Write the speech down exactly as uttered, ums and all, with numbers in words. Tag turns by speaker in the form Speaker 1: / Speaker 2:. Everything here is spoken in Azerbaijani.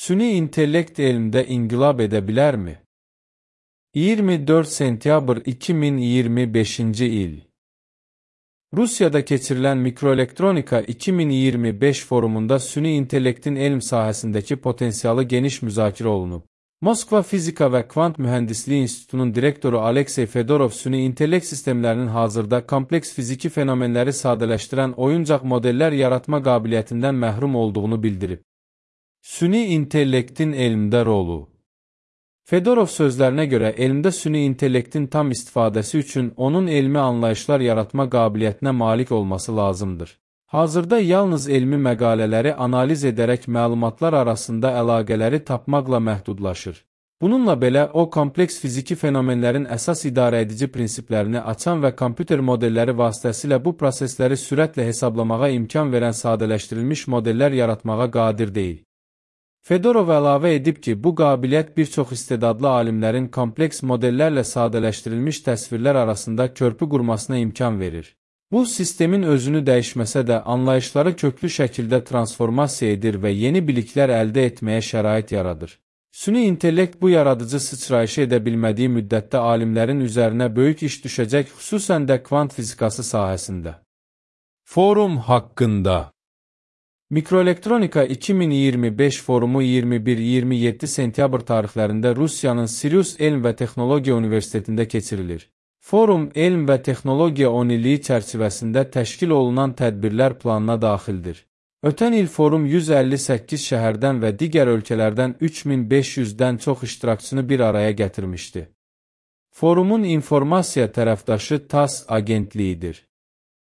Speaker 1: Süni intellekt elmdə inqilab edə bilərmi? iyirmi dörd sentyabr iki min iyirmi beşinci il Rusiyada keçirilən Mikroelektronika iki min iyirmi beş forumunda süni intellektin elm sahəsindəki potensialı geniş müzakirə olunub. Moskva Fizika və Kvant Mühəndisliyi İnstitutunun direktoru Aleksey Fedorov süni intellekt sistemlərinin hazırda kompleks fiziki fenomenləri sadələşdirən oyuncaq modellər yaratma qabiliyyətindən məhrum olduğunu bildirib. Süni intellektin elmdə rolu Fedorov sözlərinə görə, elmdə süni intellektin tam istifadəsi üçün onun elmi anlayışlar yaratma qabiliyyətinə malik olması lazımdır. Hazırda yalnız elmi məqalələri analiz edərək məlumatlar arasında əlaqələri tapmaqla məhdudlaşır. Bununla belə, o, kompleks fiziki fenomenlərin əsas idarəedici prinsiplərini açan və kompüter modelləri vasitəsilə bu prosesləri sürətlə hesablamağa imkan verən sadələşdirilmiş modellər yaratmağa qadir deyil. Fedorov əlavə edib ki, bu qabiliyyət bir çox istedadlı alimlərin kompleks modellərlə sadələşdirilmiş təsvirlər arasında körpü qurmasına imkan verir. Bu, sistemin özünü dəyişməsə də anlayışları köklü şəkildə transformasiya edir və yeni biliklər əldə etməyə şərait yaradır. Süni intellekt bu yaradıcı sıçrayışı edə bilmədiyi müddətdə alimlərin üzərinə böyük iş düşəcək, xüsusən də kvant fizikası sahəsində. Forum haqqında Mikroelektronika iki min iyirmi beş forumu iyirmi bir iyirmi yeddi sentyabr tarixlərində Rusiyanın Sirius Elm və Texnologiya Universitetində keçirilir. Forum, elm və texnologiya on illiyi çərçivəsində təşkil olunan tədbirlər planına daxildir. Ötən il forum yüz əlli səkkiz şəhərdən və digər ölkələrdən üç min beş yüzdən çox iştirakçını bir araya gətirmişdi. Forumun informasiya tərəfdaşı TASS agentliyidir.